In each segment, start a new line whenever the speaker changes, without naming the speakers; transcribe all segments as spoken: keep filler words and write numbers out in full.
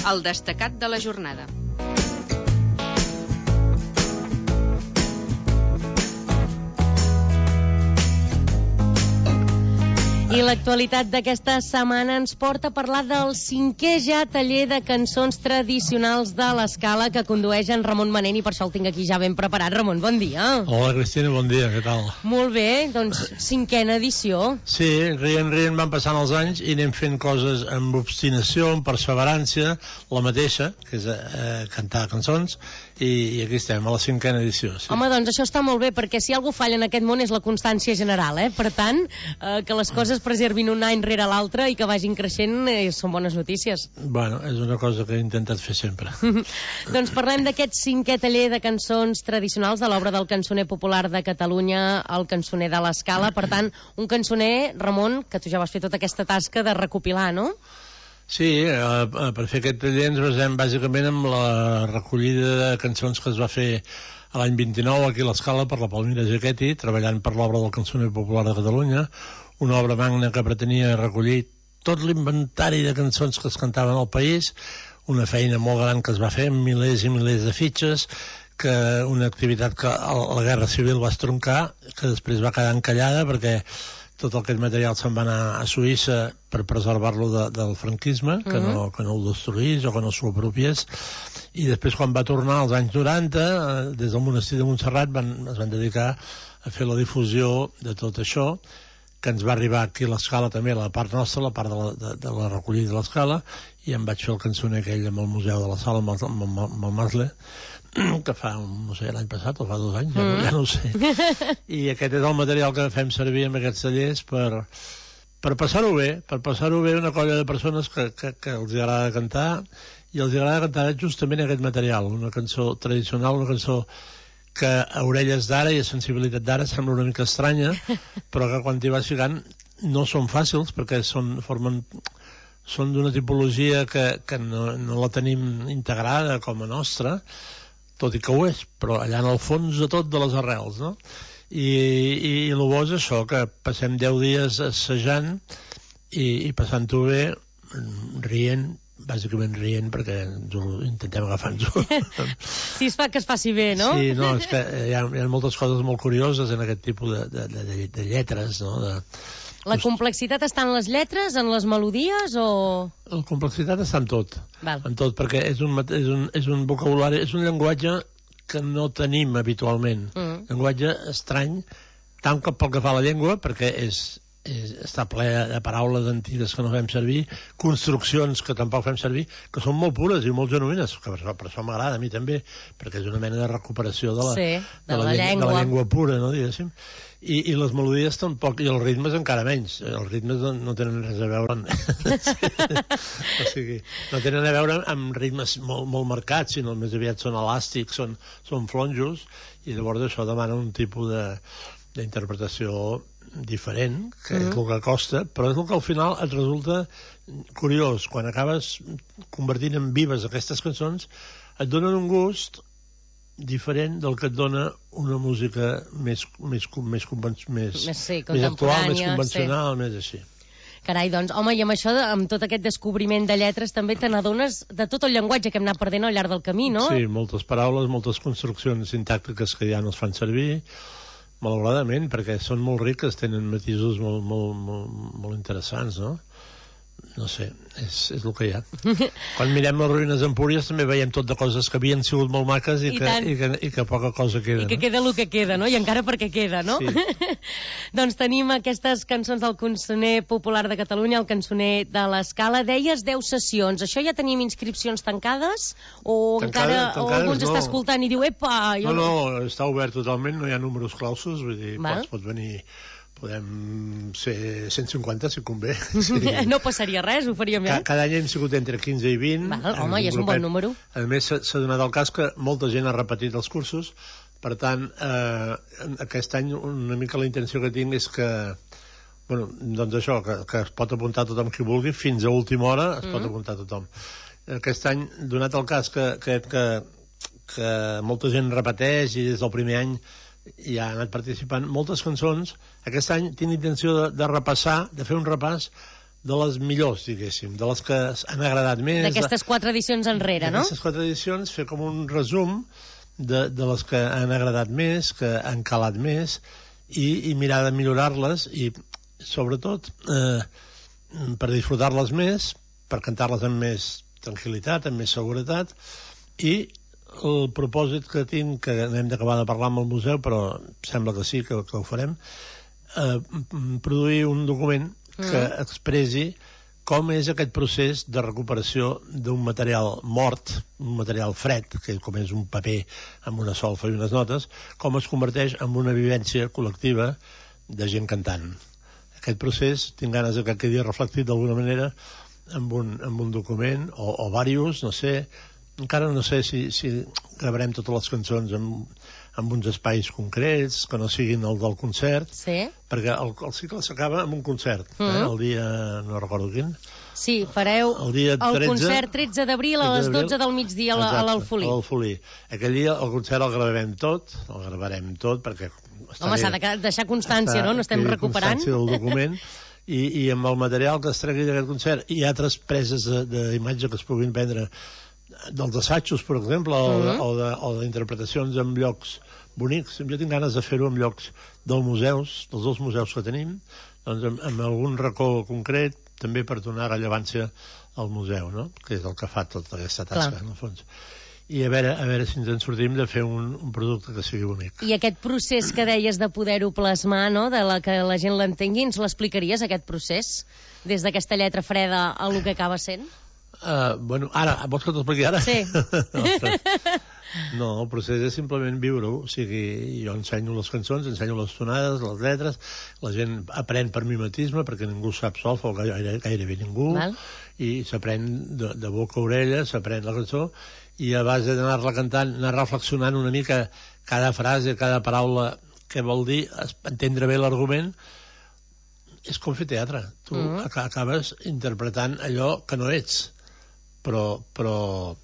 El destacat de la jornada.
I l'actualitat d'aquesta setmana ens porta a parlar del cinquè ja taller de cançons tradicionals de l'Escala que condueix en Ramon Manent, i per això el tinc aquí ja ben preparat. Ramon, bon dia.
Hola, Cristina, bon dia, què tal?
Molt bé, doncs cinquena edició.
Sí, rient, rient van passant els anys i anem fent coses amb obstinació, amb perseverància, la mateixa, que és eh, cantar cançons, i, i aquí estem, a la cinquena edició. Sí.
Home, doncs això està molt bé, perquè si algú falla en aquest món és la constància general, eh? Per tant, eh, que les coses preservin un any rere l'altre i que vagin creixent eh, són bones notícies.
Bueno, és una cosa que he intentat fer sempre.
Doncs parlem d'aquest cinquè taller de cançons tradicionals de l'obra del cançoner popular de Catalunya, el cançoner de l'Escala. Per tant, un cançoner, Ramon, que tu ja vas fer tota aquesta tasca de recopilar, no?
Sí, eh, per fer aquest taller ens basem bàsicament en la recollida de cançons que es va fer a l'any vint-i-nou aquí a l'Escala per la Palmira Jaquetti, treballant per l'obra del cançoner popular de Catalunya, una obra magna que pretenia recollir tot l'inventari de cançons que es cantaven al país, una feina molt gran que es va fer amb milers i milers de fitxes, que una activitat que a la Guerra Civil va estroncar, que després va quedar encallada perquè tot aquest material se'n va anar a Suïssa per preservar-lo de, del franquisme, que, mm-hmm. no, que no el destruís o que no s'ho apropiés, i després quan va tornar als anys noranta, des del monestir de Montserrat van, es van dedicar a fer la difusió de tot això, que ens va arribar aquí a l'Escala també, la part nostra, la part de la, de, de la recollida de l'Escala, i em vaig fer el cançoner aquell amb el Museu de la Sala, amb el, amb, amb el Masle, que fa, no sé, l'any passat o fa dos anys, ja, mm. ja no ho sé. I aquest és el material que fem servir en aquests tallers per, per passar-ho bé, per passar-ho bé una colla de persones que, que, que els agrada cantar, i els agrada cantar justament aquest material, una cançó tradicional, una cançó que a orelles d'ara i a sensibilitat d'ara sembla una mica estranya, però que quan t'hi vas ficant no són fàcils, perquè són, formen, són d'una tipologia que, que no, no la tenim integrada com a nostra, tot i que ho és, però allà en el fons de tot de les arrels, no? I, i, i el bo és això, que passem deu dies assajant i, i passant-ho bé, rient, bàsicament rient, perquè ens ho intentem agafar-nos-ho.
Sí, es fa que es faci bé, no?
Sí, no, és que hi ha, hi ha moltes coses molt curioses en aquest tipus de, de, de, de lletres, no? De,
la complexitat està en les lletres, en les melodies, o...?
La complexitat està en tot,
Val.
en tot, perquè és un, és, un, és un vocabulari, és un llenguatge que no tenim habitualment. Mm. Llenguatge estrany, tant que pel que fa a la llengua, perquè és... És, està ple de paraules antigues que no fem servir, construccions que tampoc fem servir, que són molt pures i molt genuïnes, que per, per això m'agrada a mi també, perquè és una mena de recuperació de la,
sí, de
de la,
la,
llengua.
llengua.
de la llengua pura, no, diguéssim. I, i les melodies tampoc, i els ritmes encara menys. Els ritmes no, no tenen res a veure amb... o sigui, no tenen a veure amb ritmes molt, molt marcats, sinó més aviat són elàstics, són, són flonjos, i llavors això demana un tipus de d'interpretació diferent, que mm. és el que costa, però és el que al final et resulta curiós. Quan acabes convertint en vives aquestes cançons, et donen un gust diferent del que et dona una música més, més, més, més, més,
sí,
més actual, més convencional, sí. Més així.
Carai, doncs, home, i amb això, amb tot aquest descobriment de lletres, també te n'adones de tot el llenguatge que hem anat perdent al llarg del camí, no?
Sí, moltes paraules, moltes construccions sintàctiques que ja no es fan servir, malauradament, perquè són molt riques, tenen matisos molt, molt, molt, molt interessants, no? No sé, és, és el que hi ha. Quan mirem les ruïnes d'Empúries també veiem tot de coses que havien sigut molt maques i, I, que, i, que, i que poca cosa queda.
I que no? queda el que queda, no? I encara perquè queda, no?
Sí.
Doncs tenim aquestes cançons del cançoner popular de Catalunya, el cançoner de l'Escala. Deies deu sessions. Això ja tenim inscripcions tancades? O
Tancada,
encara o algú ens no. està escoltant i diu, epa... Jo
no, no, no, està obert totalment, no hi ha números clausos, vull dir, pots, pots venir... Podem ser cent cinquanta, si convé. Sí.
No passaria res, ho faríem bé.
Cada any hem sigut entre quinze i vint.
Val, home, i és un bon número.
A més, s'ha donat el cas que molta gent ha repetit els cursos, per tant, eh, aquest any una mica la intenció que tinc és que, bueno, doncs això, que, que es pot apuntar tothom qui vulgui, fins a última hora es mm. pot apuntar tothom. Aquest any, donat el cas que, que, que, que molta gent repeteix i des del primer any ja ha anat participant moltes cançons, aquest any tinc intenció de, de repassar, de fer un repàs de les millors, diguéssim, de les que han agradat més.
D'aquestes quatre edicions enrere, no?
D'aquestes quatre edicions, fer com un resum de, de les que han agradat més, que han calat més, i, i mirar de millorar-les, i sobretot eh, per disfrutar-les més, per cantar-les amb més tranquil·litat, amb més seguretat, i el propòsit que tinc, que hem d'acabar de parlar amb el museu, però sembla que sí, que, que ho farem, eh, produir un document que mm. expressi com és aquest procés de recuperació d'un material mort, un material fred, que com és un paper amb una solfa i unes notes, com es converteix en una vivència col·lectiva de gent cantant. Aquest procés, tinc ganes que quedi reflectit d'alguna manera amb un, amb un document, o, o diversos, no sé, encara no sé si, si gravarem totes les cançons amb, amb uns espais concrets, que no siguin el del concert,
sí.
perquè el, el cicle s'acaba amb un concert, mm -hmm. eh? el dia, no recordo quin.
Sí, fareu
el, dia tretze,
el concert tretze d'abril a les dotze del migdia a l'Alfolí.
A l'Alfolí. Aquell dia el concert el gravarem tot, el gravarem tot, perquè...
Home, s'ha de deixar constància, no? No estem recuperant.
Constància del document. I, i amb el material que es tregui d'aquest concert i altres preses d'imatge que es puguin prendre dels assajos, per exemple, mm-hmm. o d'interpretacions en llocs bonics. Jo tinc ganes de fer-ho en llocs dels museus, dels dos museus que tenim, doncs amb, amb algun racó concret, també per donar rellevància al museu, no? Que és el que fa tota aquesta tasca, Clar. En el fons. I a veure, a veure si ens en sortim de fer un, un producte que sigui bonic.
I aquest procés que deies de poder-ho plasmar, no?, de la que la gent l'entengui, ens l'explicaries, aquest procés? Des d'aquesta lletra freda a lo que acaba sent?
Uh, bueno, ara, vols que t'ho expliqui ara?
Sí.
No, el procés és simplement viure-ho. O sigui, jo ensenyo les cançons, ensenyo les tonades, les lletres, la gent aprèn per mimetisme, perquè ningú sap solfa, o gaire, gairebé ningú, Val. I s'aprèn de, de boca a orella, s'aprèn la cançó, i a base d'anar-la cantant, anar reflexionant una mica cada frase, cada paraula, què vol dir, entendre bé l'argument, és com fer teatre. Tu mm -hmm. acabes interpretant allò que no ets, però... però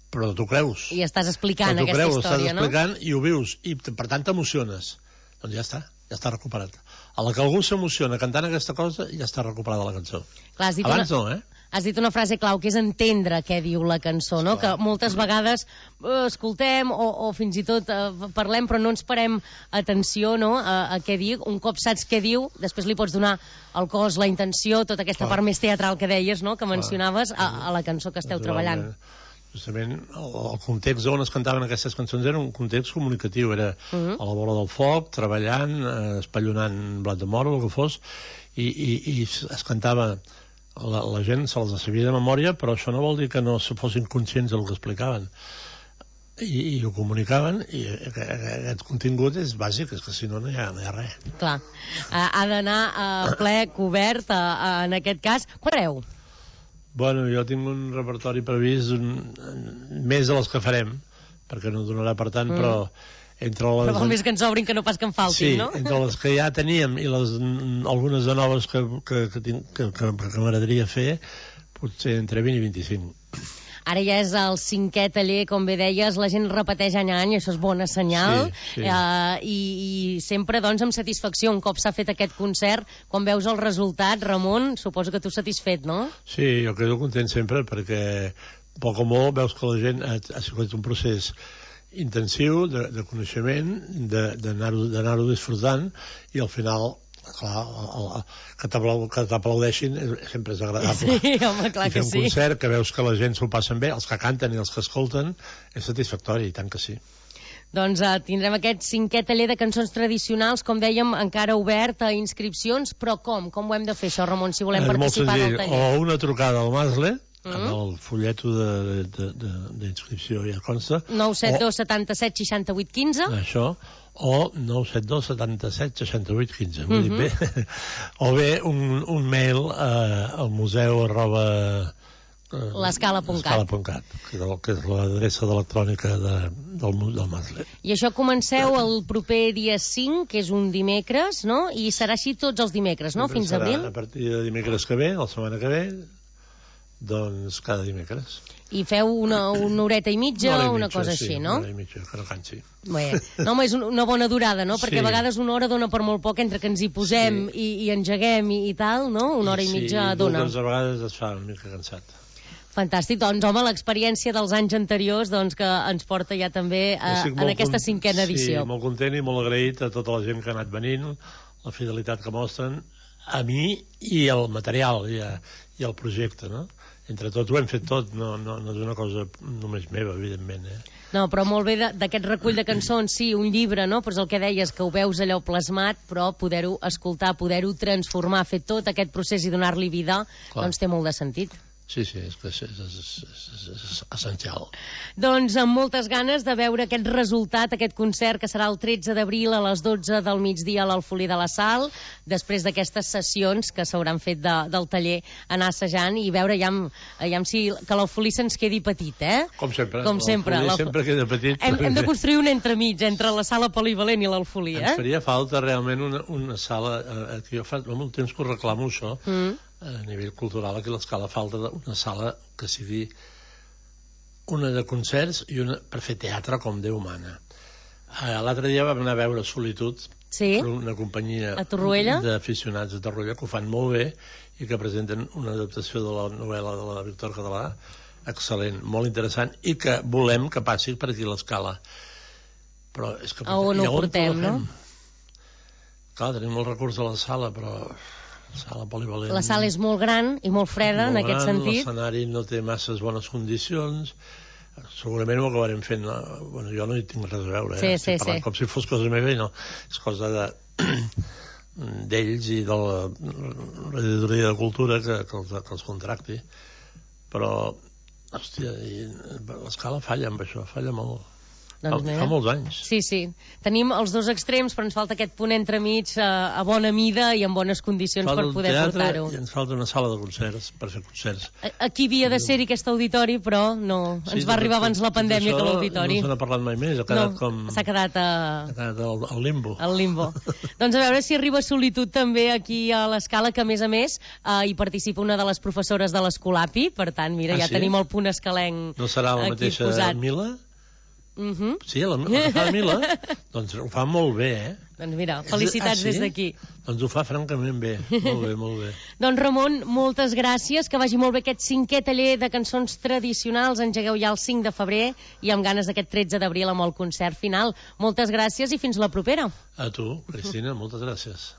però tu creus.
I estàs explicant aquesta
creus,
història, no?
Estàs explicant i ho vius, i per tant t'emociones. Doncs ja està, ja està recuperat. A la que algú s'emociona cantant aquesta cosa, ja està recuperada la cançó.
Clar,
abans
una...
no, eh?
Has dit una frase clau, que és entendre què diu la cançó, no? Que moltes vegades eh, escoltem o, o fins i tot eh, parlem, però no ens parem atenció, no?, a, a què diu. Un cop saps què diu, després li pots donar el cos, la intenció, tota aquesta Clar. part més teatral que deies, no?, que mencionaves a, a la cançó que esteu treballant.
Justament el, el context on es cantaven aquestes cançons era un context comunicatiu, era uh -huh. a la vora del foc, treballant, eh, espallonant blat de moro, el que fos, i, i, i es cantava, la, la gent se les sabia de memòria, però això no vol dir que no se fossin conscients del que explicaven, i, i ho comunicaven, i aquest contingut és bàsic, és que si no no hi ha, no hi ha res.
Clar, ha d'anar a ple, cobert, a, a, en aquest cas. Quan fareu?
Bueno, jo tinc un repertori previst un, més de les que farem, perquè no donarà per tant, mm. però entre les...
Però vol més que ens obrin que no pas que en faltin,
sí,
no?
Sí, entre les que ja teníem i les, algunes de noves que, que, que, tinc, que, que, que m'agradaria fer, potser entre vint i vint-i-cinc.
Ara ja és el cinquè taller, com bé deies, la gent repeteix any a any, això és bona senyal, sí, sí. Eh, i, i sempre, doncs, amb satisfacció, un cop s'ha fet aquest concert, quan veus el resultat, Ramon, suposo que tu satisfet, no?
Sí, jo quedo content sempre, perquè poc o molt veus que la gent ha, ha sigut un procés intensiu de, de coneixement, d'anar-ho disfrutant, i al final... clar, el, el, que t'aplaudeixin sempre és agradable.
Sí, home, clar que sí.
I fer un concert que veus que la gent s'ho passen bé, els que canten i els que escolten, és satisfactori, i tant que sí.
Doncs uh, tindrem aquest cinquè taller de cançons tradicionals, com dèiem, encara obert a inscripcions, però com? Com ho hem de fer, això, Ramon, si volem
és
participar del taller?
O una trucada al Masle, mm -hmm. amb el fulleto d'inscripció ja consta.
nou set dos setanta-set seixanta-vuit quinze.
Això, o nou set dos setanta-set seixanta-vuit quinze, m'ho dic bé. O bé un, un mail uh, al museu arroba
l'escala punt cat,
que és l'adreça electrònica de, del, del Masle.
I això comenceu el proper dia cinc, que és un dimecres, no? I serà així tots els dimecres, no? Fins a abril?
A partir de dimecres que ve, la setmana que ve, doncs cada dimecres.
I feu una, una horeta i mitja
Una hora i
o una
mitja,
cosa
sí,
així, no?
Una hora i mitja, que no cansi.
Bé, no, home, és una bona durada, no? Perquè
Sí.
a vegades una hora dona per molt poc entre que ens hi posem
Sí.
i, i engeguem i, i tal, no? Una hora i mitja
sí,
dona.
Sí, a vegades es fa una mica cansat.
Fantàstic, doncs home, l'experiència dels anys anteriors doncs, que ens porta ja també a,
Estic
en
molt
aquesta
con-
cinquena edició.
Sí, molt content i molt agraït a tota la gent que ha anat venint, la fidelitat que mostren a mi i al material i, a, i al projecte, no? Entre tots ho hem fet tot, no, no, no és una cosa només meva, evidentment, eh?
No, però molt bé de- d'aquest recull de cançons, sí, un llibre, no? Però és el que deies, que ho veus allò plasmat, però poder-ho escoltar, poder-ho transformar, fer tot aquest procés i donar-li vida,
Clar.
doncs té molt de sentit.
Sí, sí, és que és, és, és, és, és essencial.
Doncs amb moltes ganes de veure aquest resultat, aquest concert que serà el tretze d'abril a les dotze del migdia a l'Alfolí de la Sal, després d'aquestes sessions que s'hauran fet de, del taller, anar assajant i veure ja, ja si que l'Alfolí se'ns quedi petit, eh?
Com sempre.
Com sempre.
L'Alfolí sempre queda petit.
Hem, hem de construir un entremig entre la sala polivalent i l'Alfolí, eh?
Ens faria falta realment una, una sala, eh, que jo fa molt temps que ho reclamo això,
Mm.
a nivell cultural, aquí a l'Escala falta una sala que sigui una de concerts i una per fer teatre com Déu mana. Eh, L'altre dia vam anar a veure Solitud,
Sí?
una companyia
A Torroella?
d'aficionats de Torroella que ho fan molt bé i que presenten una adaptació de la novel·la de la Víctor Català excel·lent, molt interessant, i que volem que passi per aquí a l'Escala. Però és que...
A on
i
ho portem, no?
Clar, tenim el recurs de la sala, però la sala polivalent...
La sala és molt gran i molt freda,
molt
en aquest
gran,
sentit.
L'escenari no té masses bones condicions, segurament ho acabarem fent, no? Bueno, jo no hi tinc res a veure, eh?
Sí, sí,
Estic parlant
sí.
com si fos cosa meva i no, és cosa de d'ells i de la regidoria de cultura que, que, els, que els contracti, però hòstia, i l'Escala falla amb això, falla molt.
Doncs
fa,
mira.
fa molts anys.
Sí, sí. Tenim els dos extrems, però ens falta aquest punt entremig a, a bona mida i en bones condicions
Falta
per
un
poder
teatre
portar-ho.
i ens falta una sala de concerts per fer concerts.
A- Aquí havia de ser-hi aquest auditori, però no. Ens
Sí,
va arribar
tot-
abans la
tot
pandèmia
això
que l'auditori.
No se n'ha parlat mai més, ha quedat
No,
com...
s'ha quedat a...
ha quedat al, al limbo.
al limbo. Doncs a veure si arriba Solitud també aquí a l'Escala, que a més a més eh, hi participa una de les professores de l'Escolapi, per tant, mira,
Ah,
ja
sí?
tenim el punt escalenc
No serà la
aquí
mateixa
posat.
Mila?
Uh -huh.
Sí, la, la que fa la Mila? Doncs ho fa molt bé, eh?
Doncs mira, felicitats
Ah, sí?
des d'aquí.
Doncs ho fa francament bé. Molt bé, molt bé.
Doncs Ramon, moltes gràcies, que vagi molt bé aquest cinquè taller de cançons tradicionals. Engegueu ja el cinc de febrer i amb ganes d'aquest tretze d'abril amb el concert final. Moltes gràcies i fins la propera.
A tu, Cristina, moltes gràcies.